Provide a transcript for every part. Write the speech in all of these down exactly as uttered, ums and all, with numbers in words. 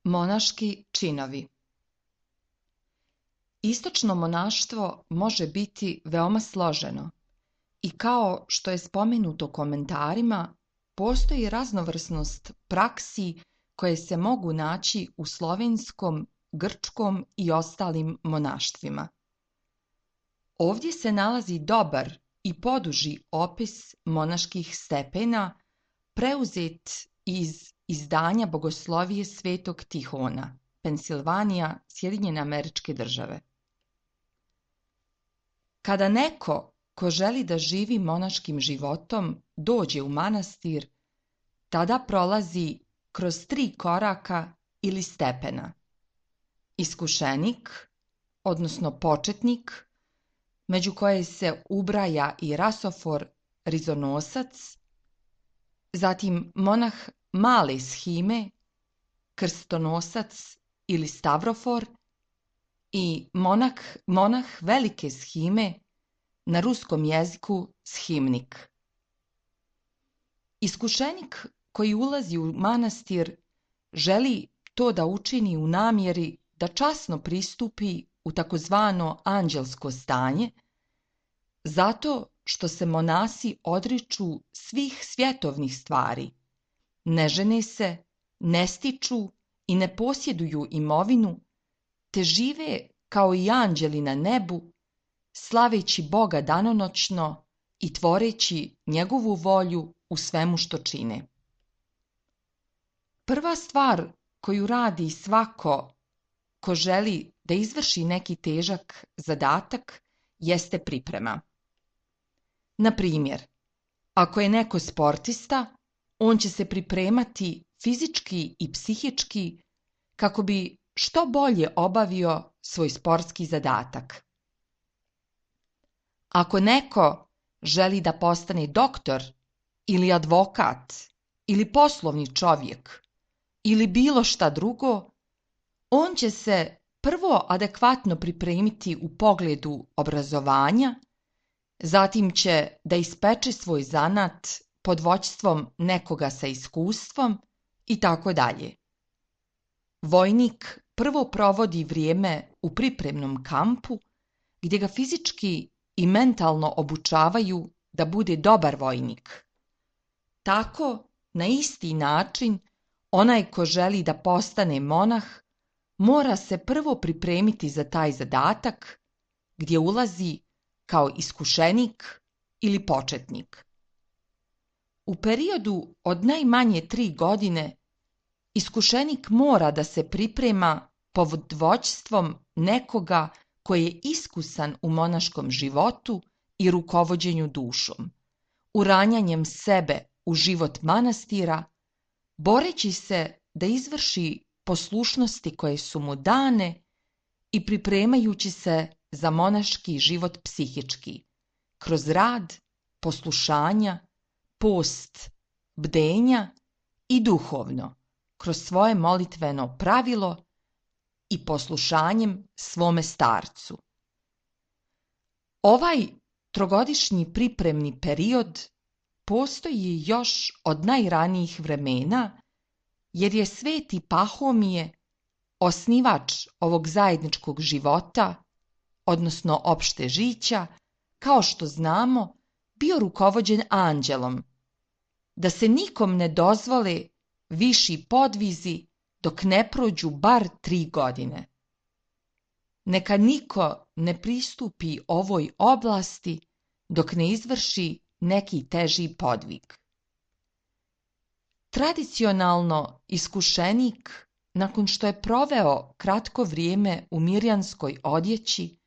Monaški činovi. Istočno monaštvo može biti veoma složeno i kao što je spomenuto u komentarima, postoji raznovrsnost praksi koje se mogu naći u slovenskom, grčkom i ostalim monaštvima. Ovdje se nalazi dobar i poduži opis monaških stepena preuzet iz izdanja Bogoslovije Svetog Tihona, Pensilvanija, Sjedinjene Američke Države. Kada neko ko želi da živi monaškim životom dođe u manastir, tada prolazi kroz tri koraka ili stepena. Iskušenik, odnosno početnik, među koje se ubraja i rasofor rizonosac, zatim monah male shime, krstonosac ili stavrofor i monah, monah velike shime, na ruskom jeziku shimnik. Iskušenik koji ulazi u manastir želi to da učini u namjeri da časno pristupi u takozvano anđelsko stanje, zato što se monasi odriču svih svjetovnih stvari, ne žene se, ne stiču i ne posjeduju imovinu, te žive kao i anđeli na nebu, slaveći Boga danonoćno i tvoreći njegovu volju u svemu što čine. Prva stvar koju radi svako ko želi da izvrši neki težak zadatak jeste priprema. Na primjer, ako je neko sportista, on će se pripremati fizički i psihički kako bi što bolje obavio svoj sportski zadatak. Ako neko želi da postane doktor ili advokat ili poslovni čovjek ili bilo šta drugo, on će se prvo adekvatno pripremiti u pogledu obrazovanja, zatim će da ispeče svoj zanat pod vođstvom nekoga sa iskustvom i tako dalje. Vojnik prvo provodi vrijeme u pripremnom kampu gdje ga fizički i mentalno obučavaju da bude dobar vojnik. Tako, na isti način, onaj ko želi da postane monah mora se prvo pripremiti za taj zadatak gdje ulazi kao iskušenik ili početnik. U periodu od najmanje tri godine iskušenik mora da se priprema pod vođstvom nekoga koji je iskusan u monaškom životu i rukovođenju dušom, uranjanjem sebe u život manastira, boreći se da izvrši poslušnosti koje su mu dane i pripremajući se za monaški život psihički, kroz rad, poslušanja, post, bdenja i duhovno, kroz svoje molitveno pravilo i poslušanjem svome starcu. Ovaj trogodišnji pripremni period postoji još od najranijih vremena, jer je sveti Pahomije, osnivač ovog zajedničkog života, odnosno opšte žića, kao što znamo, bio rukovođen anđelom, da se nikom ne dozvole viši podvizi dok ne prođu bar tri godine. Neka niko ne pristupi ovoj oblasti dok ne izvrši neki teži podvig. Tradicionalno iskušenik, nakon što je proveo kratko vrijeme u mirjanskoj odjeći,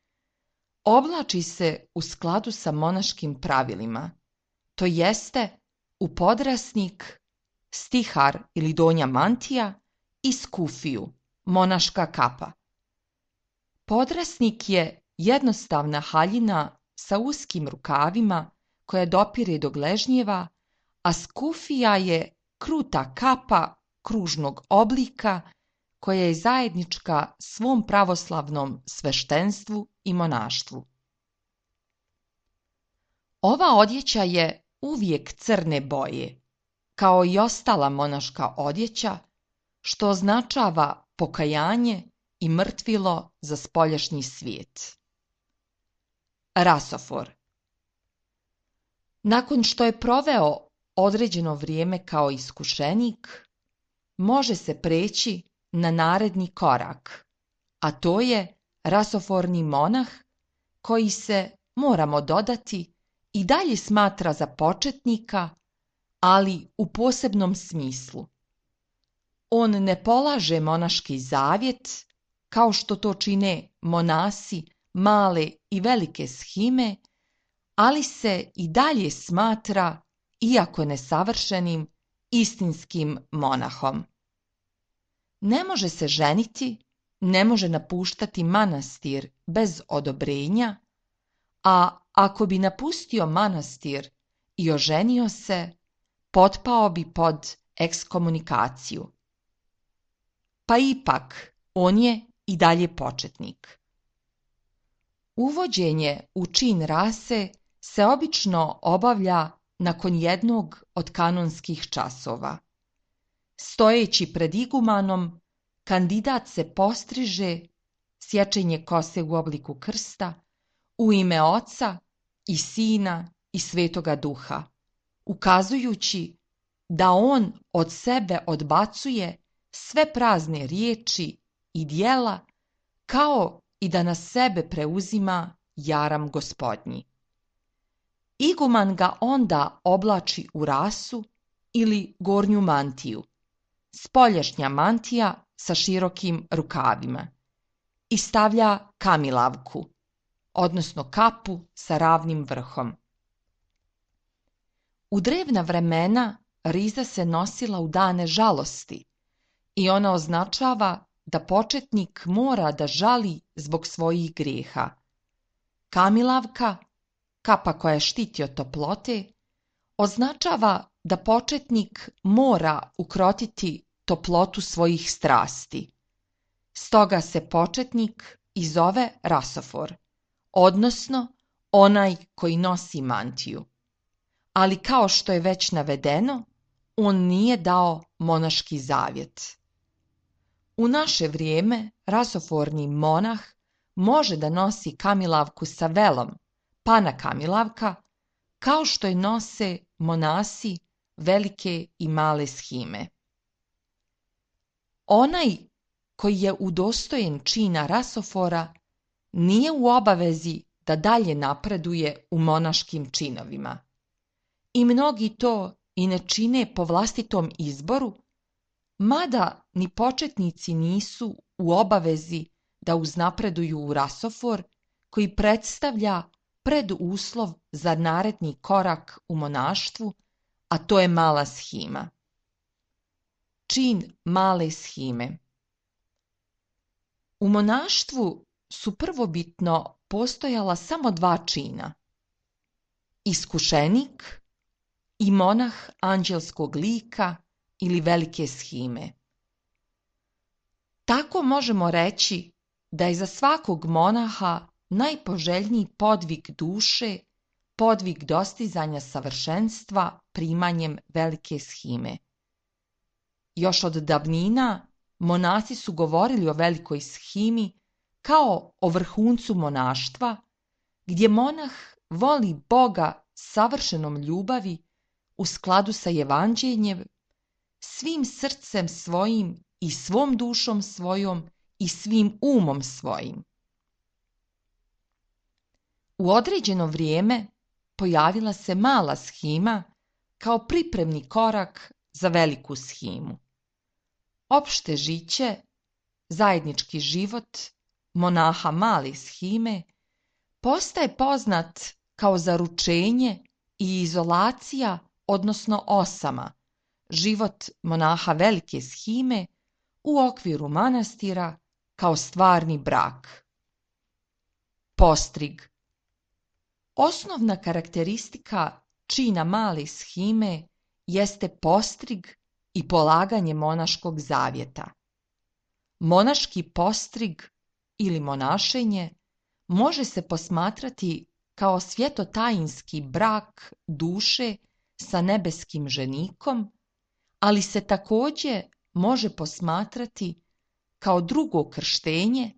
oblači se u skladu sa monaškim pravilima, to jeste u podrasnik, stihar ili donja mantija i skufiju, monaška kapa. Podrasnik je jednostavna haljina sa uskim rukavima koja dopire do gležnjeva, a skufija je kruta kapa kružnog oblika koja je zajednička svom pravoslavnom sveštenstvu i monaštvu. Ova odjeća je uvijek crne boje, kao i ostala monaška odjeća, što označava pokajanje i mrtvilo za spoljašnji svijet. Rasofor. Nakon što je proveo određeno vrijeme kao iskušenik, može se preći na naredni korak, a to je rasoforni monah koji se, moramo dodati, i dalje smatra za početnika, ali u posebnom smislu. On ne polaže monaški zavjet, kao što to čine monasi male i velike shime, ali se i dalje smatra, iako nesavršenim, istinskim monahom. Ne može se ženiti, ne može napuštati manastir bez odobrenja, a ako bi napustio manastir i oženio se, potpao bi pod ekskomunikaciju. Pa ipak, on je i dalje početnik. Uvođenje u čin rase se obično obavlja nakon jednog od kanonskih časova. Stojeći pred igumanom, kandidat se postriže, sječenje kose u obliku krsta, u ime Oca i Sina i Svetoga Duha, ukazujući da on od sebe odbacuje sve prazne riječi i djela, kao i da na sebe preuzima jaram Gospodnji. Iguman ga onda oblači u rasu ili gornju mantiju, spoljašnja mantija sa širokim rukavima, i stavlja kamilavku, odnosno kapu sa ravnim vrhom. U drevna vremena riza se nosila u dane žalosti i ona označava da početnik mora da žali zbog svojih grijeha. Kamilavka, kapa koja štiti od toplote, označava da početnik mora ukrotiti toplotu svojih strasti. Stoga se početnik i zove rasofor, odnosno onaj koji nosi mantiju. Ali kao što je već navedeno, on nije dao monaški zavjet. U naše vrijeme rasoforni monah može da nosi kamilavku sa velom, pana kamilavka, kao što je nose monasi velike i male shime. Onaj koji je udostojen čina rasofora nije u obavezi da dalje napreduje u monaškim činovima. I mnogi to i ne čine po vlastitom izboru, mada ni početnici nisu u obavezi da uznapreduju u rasofor koji predstavlja preduslov za naredni korak u monaštvu, a to je mala shima. Čin male shime. U monaštvu su prvobitno postojala samo dva čina: iskušenik i monah anđelskog lika ili velike shime. Tako možemo reći da je za svakog monaha najpoželjniji podvig duše, podvig dostizanja savršenstva primanjem velike shime. Još od davnina monasi su govorili o velikoj shimi kao o vrhuncu monaštva, gdje monah voli Boga savršenom ljubavi u skladu sa evanđeljem, svim srcem svojim i svom dušom svojom i svim umom svojim. U određeno vrijeme pojavila se mala shima kao pripremni korak za veliku shimu. Opšte žiće, zajednički život monaha male shime postaje poznat kao zaručenje i izolacija, odnosno osama, život monaha velike shime u okviru manastira kao stvarni brak. Postrig. Osnovna karakteristika čina male shime jeste postrig i polaganje monaškog zavjeta. Monaški postrig ili monašenje može se posmatrati kao svjetotajinski brak duše sa nebeskim ženikom, ali se također može posmatrati kao drugo krštenje,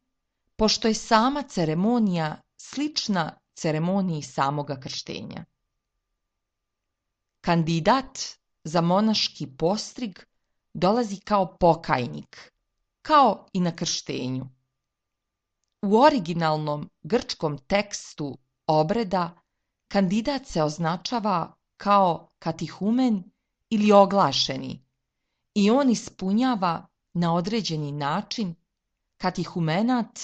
pošto je sama ceremonija slična ceremoniji samoga krštenja. Kandidat za monaški postrig dolazi kao pokajnik, kao i na krštenju. U originalnom grčkom tekstu obreda kandidat se označava kao katehumen ili oglašeni i on ispunjava na određeni način katehumenat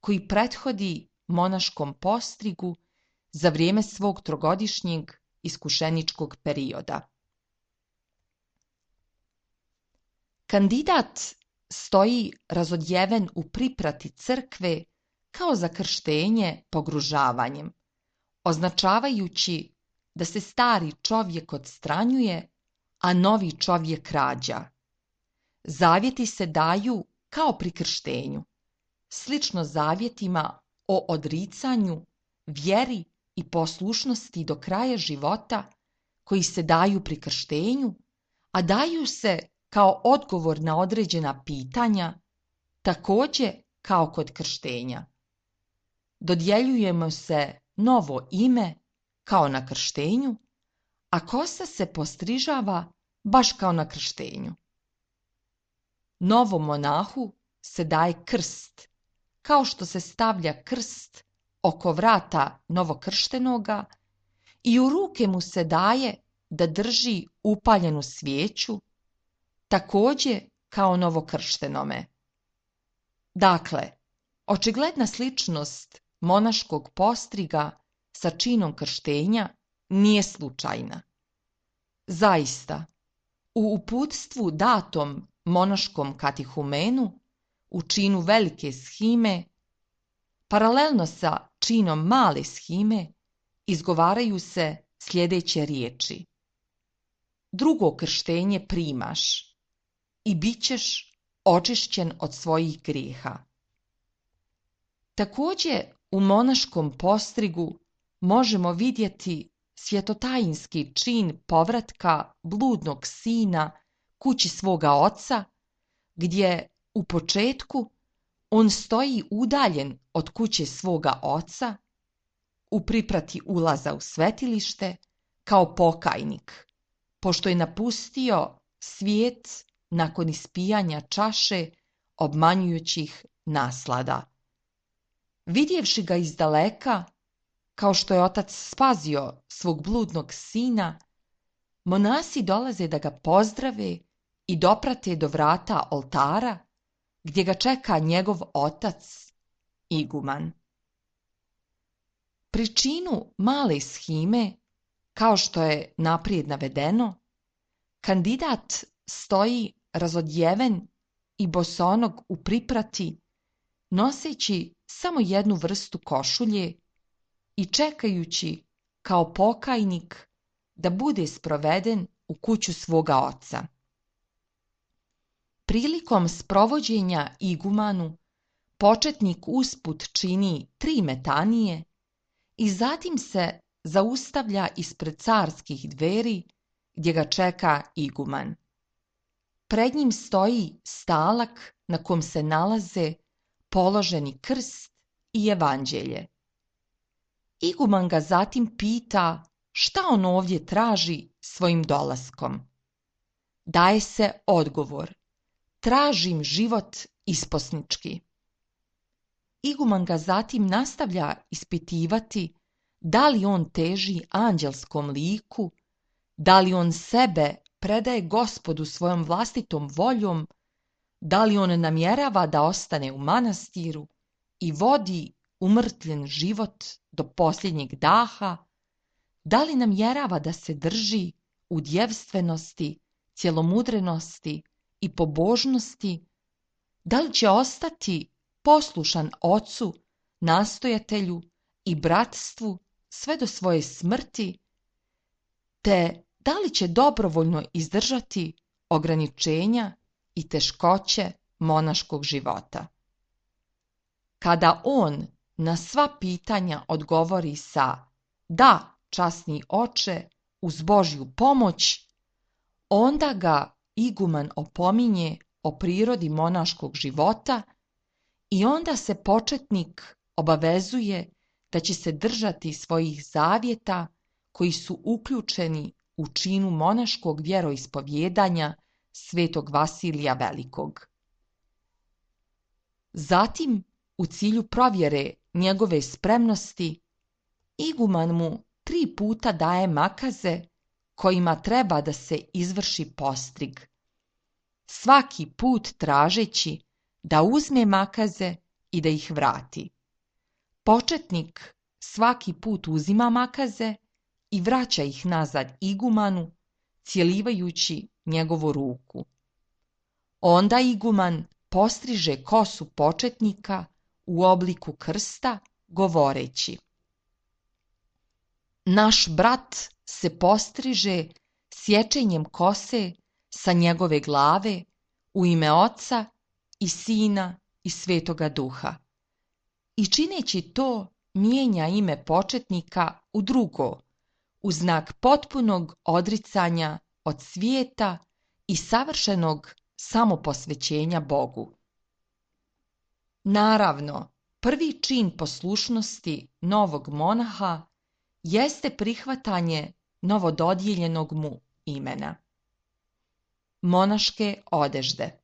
koji prethodi monaškom postrigu za vrijeme svog trogodišnjeg iskušeničkog perioda. Kandidat stoji razodjeven u priprati crkve kao za krštenje pogružavanjem, označavajući da se stari čovjek odstranjuje, a novi čovjek rađa. Zavjeti se daju kao pri krštenju, slično zavjetima o odricanju, vjeri i poslušnosti do kraja života koji se daju pri krštenju, a daju se kao odgovor na određena pitanja, također kao kod krštenja. Dodjeljujemo se novo ime kao na krštenju, a kosa se postrižava baš kao na krštenju. Novom monahu se daje krst, kao što se stavlja krst oko vrata novokrštenoga i u ruke mu se daje da drži upaljenu svijeću, također kao novokrštenome. Dakle, očigledna sličnost monaškog postriga sa činom krštenja nije slučajna. Zaista, u uputstvu datom monaškom katehumenu u činu velike shime, paralelno sa činom male shime, izgovaraju se sljedeće riječi: drugo krštenje primaš i bit ćeš očišćen od svojih grijeha. Također u monaškom postrigu možemo vidjeti svjetotajinski čin povratka bludnog sina kući svoga oca, gdje u početku on stoji udaljen od kuće svoga oca, u priprati ulaza u svetilište, kao pokajnik, pošto je napustio svijet nakon ispijanja čaše obmanjujućih naslada. Vidjevši ga izdaleka, kao što je otac spazio svog bludnog sina, monasi dolaze da ga pozdrave i doprate do vrata oltara, gdje ga čeka njegov otac, iguman. Pri činu male shime, kao što je naprijed navedeno, kandidat stoji razodjeven i bosonog u priprati, noseći samo jednu vrstu košulje i čekajući kao pokajnik da bude sproveden u kuću svoga oca. Prilikom sprovođenja igumanu, početnik usput čini tri metanije i zatim se zaustavlja ispred carskih dveri gdje ga čeka iguman. Pred njim stoji stalak na kom se nalaze položeni krst i evanđelje. Iguman ga zatim pita šta on ovdje traži svojim dolaskom. Daje se odgovor: tražim život isposnički. Iguman ga zatim nastavlja ispitivati da li on teži anđelskom liku, da li on sebe predaje Gospodu svojom vlastitom voljom, da li on namjerava da ostane u manastiru i vodi umrtvljen život do posljednjeg daha, da li namjerava da se drži u djevstvenosti, cjelomudrenosti i pobožnosti, da li će ostati poslušan ocu, nastojatelju i bratstvu sve do svoje smrti, te da li će dobrovoljno izdržati ograničenja i teškoće monaškog života. Kada on na sva pitanja odgovori sa da, časni oče, uz Božju pomoć, onda ga iguman opominje o prirodi monaškog života i onda se početnik obavezuje da će se držati svojih zavjeta koji su uključeni u činu monaškog vjeroispovjedanja svetog Vasilija Velikog. Zatim, u cilju provjere njegove spremnosti, iguman mu tri puta daje makaze kojima treba da se izvrši postrig, svaki put tražeći da uzme makaze i da ih vrati. Početnik svaki put uzima makaze i vraća ih nazad igumanu, cjelivajući njegovu ruku. Onda iguman postriže kosu početnika u obliku krsta, govoreći: naš brat se postriže sječenjem kose sa njegove glave u ime Oca i Sina i Svetoga Duha. I čineći to mijenja ime početnika u drugo, u znak potpunog odricanja od svijeta i savršenog samoposvećenja Bogu. Naravno, prvi čin poslušnosti novog monaha jeste prihvatanje novododijeljenog mu imena. Monaške odežde.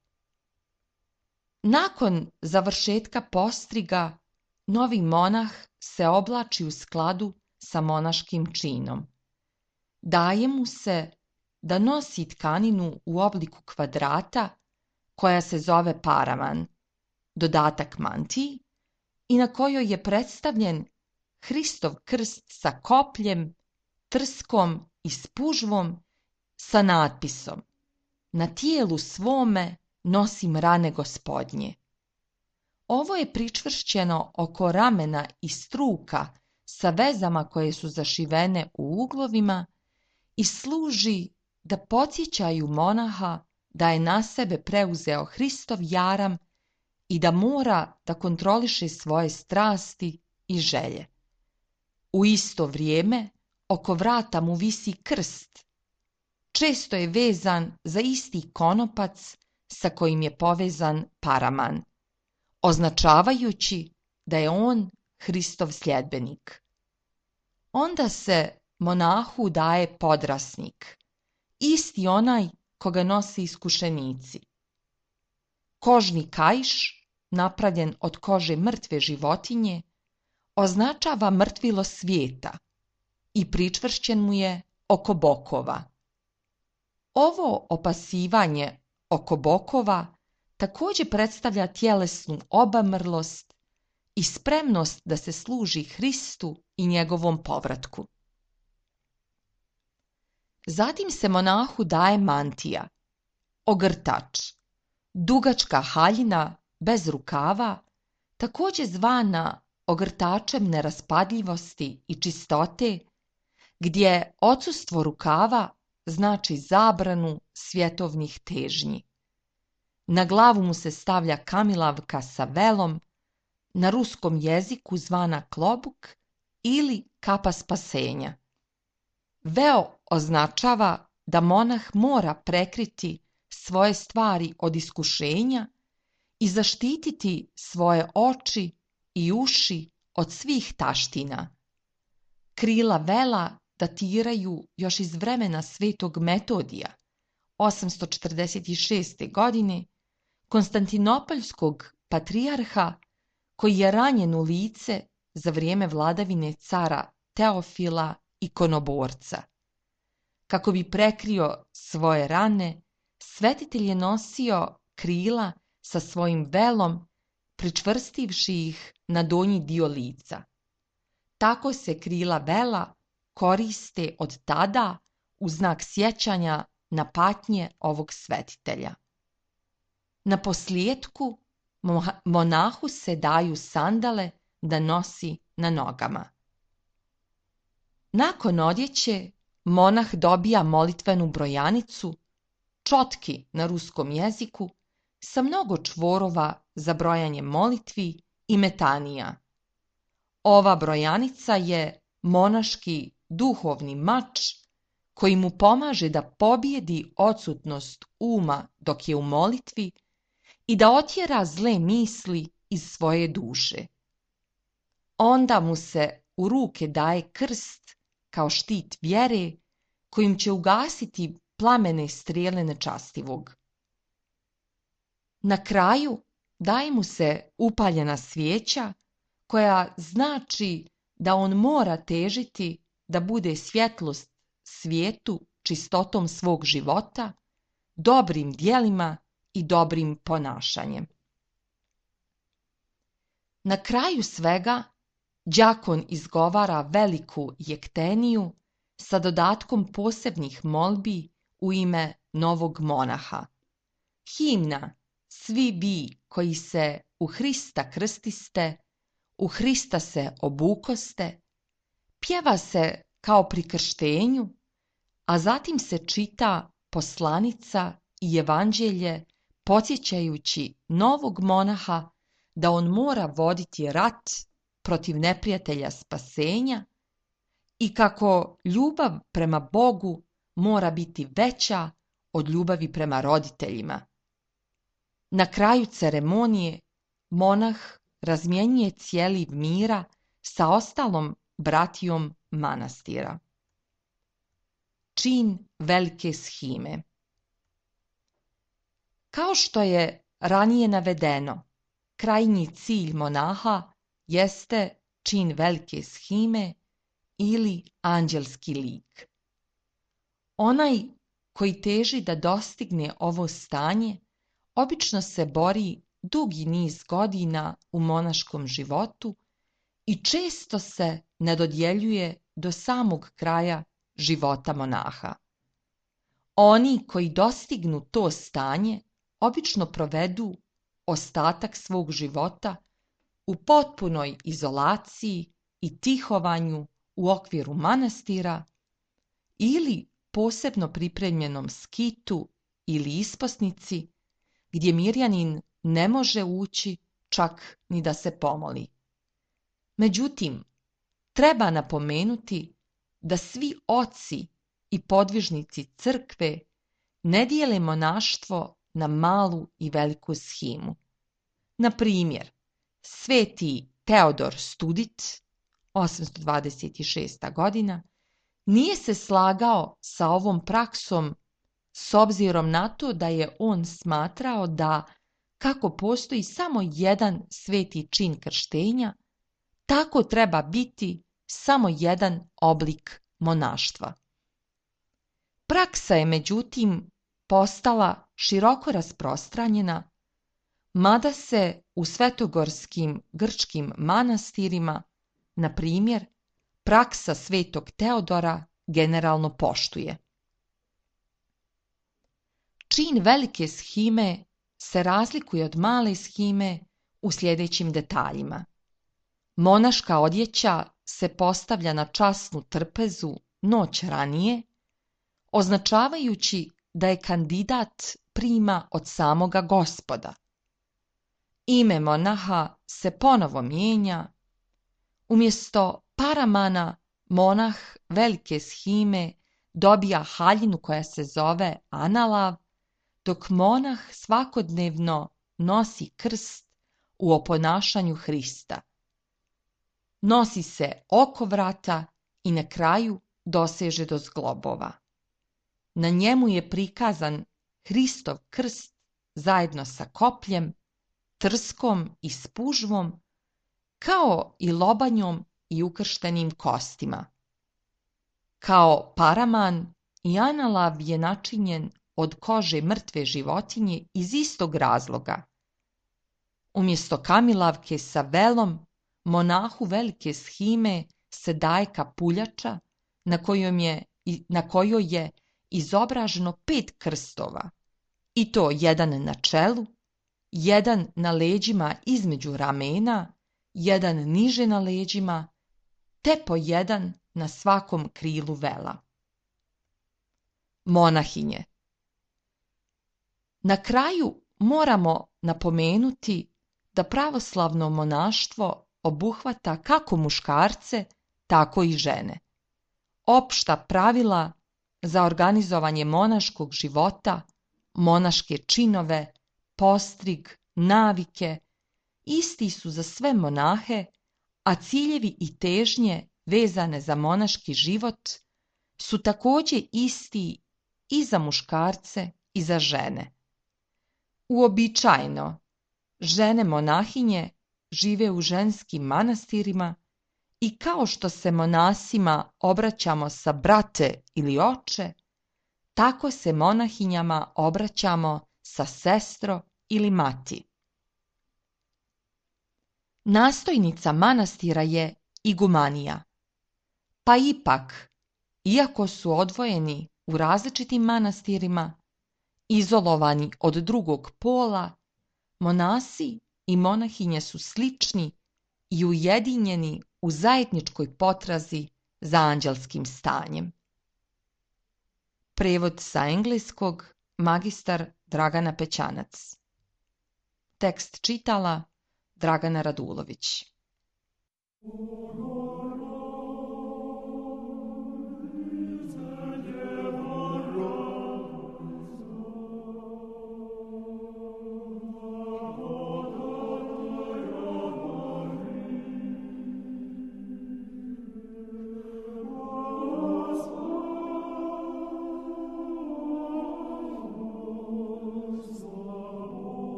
Nakon završetka postriga, novi monah se oblači u skladu sa monaškim činom. Daje mu se da nosi tkaninu u obliku kvadrata koja se zove paraman, dodatak mantiji, i na kojoj je predstavljen Hristov krst sa kopljem, trskom i spužvom sa natpisom: na tijelu svome nosim rane Gospodnje. Ovo je pričvršćeno oko ramena i struka sa vezama koje su zašivene u uglovima i služi da podsjećaju monaha da je na sebe preuzeo Hristov jaram i da mora da kontroliše svoje strasti i želje. U isto vrijeme oko vrata mu visi krst. Često je vezan za isti konopac sa kojim je povezan paraman, označavajući da je on Hristov sljedbenik. Onda se monahu daje podrasnik, isti onaj koga nose iskušenici. Kožni kaiš, napravljen od kože mrtve životinje, označava mrtvilo svijeta i pričvršćen mu je oko bokova. Ovo opasivanje oko bokova također predstavlja tjelesnu obamrlost i spremnost da se služi Hristu i njegovom povratku. Zatim se monahu daje mantija, ogrtač, dugačka haljina bez rukava, također zvana ogrtačem neraspadljivosti i čistote, gdje odsustvo rukava znači zabranu svjetovnih težnji. Na glavu mu se stavlja kamilavka sa velom, na ruskom jeziku zvana klobuk ili kapa spasenja. Veo označava da monah mora prekriti svoje stvari od iskušenja i zaštititi svoje oči i uši od svih taština. Krila vela datiraju još iz vremena svetog Metodija, osamsto četrdeset šeste. godine, konstantinopoljskog patrijarha, koji je ranjen u lice za vrijeme vladavine cara Teofila ikonoborca. Kako bi prekrio svoje rane, svetitelj je nosio krila sa svojim velom, pričvrstivši ih na donji dio lica. Tako se krila vela koriste od tada u znak sjećanja na patnje ovog svetitelja. Na posljetku monahu se daju sandale da nosi na nogama. Nakon odjeće, monah dobija molitvenu brojanicu, čotki na ruskom jeziku, sa mnogo čvorova za brojanje molitvi i metanija. Ova brojanica je monaški duhovni mač koji mu pomaže da pobjedi odsutnost uma dok je u molitvi i da otjera zle misli iz svoje duše. Onda mu se u ruke daje krst kao štit vjere kojim će ugasiti plamene strijele nečastivog. Na kraju daje mu se upaljena svijeća koja znači da on mora težiti da bude svjetlost svijetu čistotom svog života, dobrim djelima i dobrim ponašanjem. Na kraju svega đakon izgovara veliku jekteniju sa dodatkom posebnih molbi u ime novog monaha. Himna Svi vi koji se u Hrista krstiste, u Hrista se obukoste, pjeva se kao pri krštenju, a zatim se čita poslanica i evanđelje podsjećajući novog monaha da on mora voditi rat protiv neprijatelja spasenja i kako ljubav prema Bogu mora biti veća od ljubavi prema roditeljima. Na kraju ceremonije monah razmjenjuje cijeli mira sa ostalom bratijom manastira. Čin velike shime. Kao što je ranije navedeno, krajnji cilj monaha jeste čin velike shime ili anđelski lik. Onaj koji teži da dostigne ovo stanje obično se bori dugi niz godina u monaškom životu i često se ne dodjeljuje do samog kraja života monaha. Oni koji dostignu to stanje obično provedu ostatak svog života u potpunoj izolaciji i tihovanju u okviru manastira ili posebno pripremljenom skitu ili isposnici gdje mirjanin ne može ući čak ni da se pomoli. Međutim, treba napomenuti da svi oci i podvižnici crkve ne dijele monaštvo na malu i veliku shimu. Na primjer, sveti Teodor Studit, osamsto dvadeset šesta. godina, nije se slagao sa ovom praksom s obzirom na to da je on smatrao da, kako postoji samo jedan sveti čin krštenja, tako treba biti samo jedan oblik monaštva. Praksa je međutim postala široko rasprostranjena, mada se u svetogorskim grčkim manastirima, na primjer, praksa svetog Teodora generalno poštuje. Čin velike shime se razlikuje od male shime u sljedećim detaljima. Monaška odjeća se postavlja na časnu trpezu noć ranije, označavajući da je kandidat prima od samoga Gospoda. Ime monaha se ponovo mijenja. Umjesto paramana monah velike shime dobija haljinu koja se zove analav, dok monah svakodnevno nosi krst u oponašanju Hrista. Nosi se oko vrata i na kraju doseže do zglobova. Na njemu je prikazan Hristov krst zajedno sa kopljem, trskom i spužvom, kao i lobanjom i ukrštenim kostima. Kao paraman i analav je načinjen od kože mrtve životinje iz istog razloga. Umjesto kamilavke sa velom, monahu velike shime se daje kapuljača na kojoj je, na kojoj je izobraženo pet krstova, i to jedan na čelu, jedan na leđima između ramena, jedan niže na leđima, te po jedan na svakom krilu vela. Monahinje. Na kraju moramo napomenuti da pravoslavno monaštvo obuhvata kako muškarce, tako i žene. Opšta pravila za organizovanje monaškog života, monaške činove, postrig, navike isti su za sve monahe, a ciljevi i težnje vezane za monaški život su također isti i za muškarce i za žene. Uobičajeno, žene monahinje žive u ženskim manastirima i kao što se monasima obraćamo sa brate ili oče, tako se monahinjama obraćamo sa sestro ili mati. Nastojnica manastira je igumanija, pa ipak, iako su odvojeni u različitim manastirima, izolovani od drugog pola, monasi i monahinje su slični i ujedinjeni u zajedničkoj potrazi za anđelskim stanjem. Prevod sa engleskog magistar Dragana Pećanac. Tekst čitala Dragana Radulović.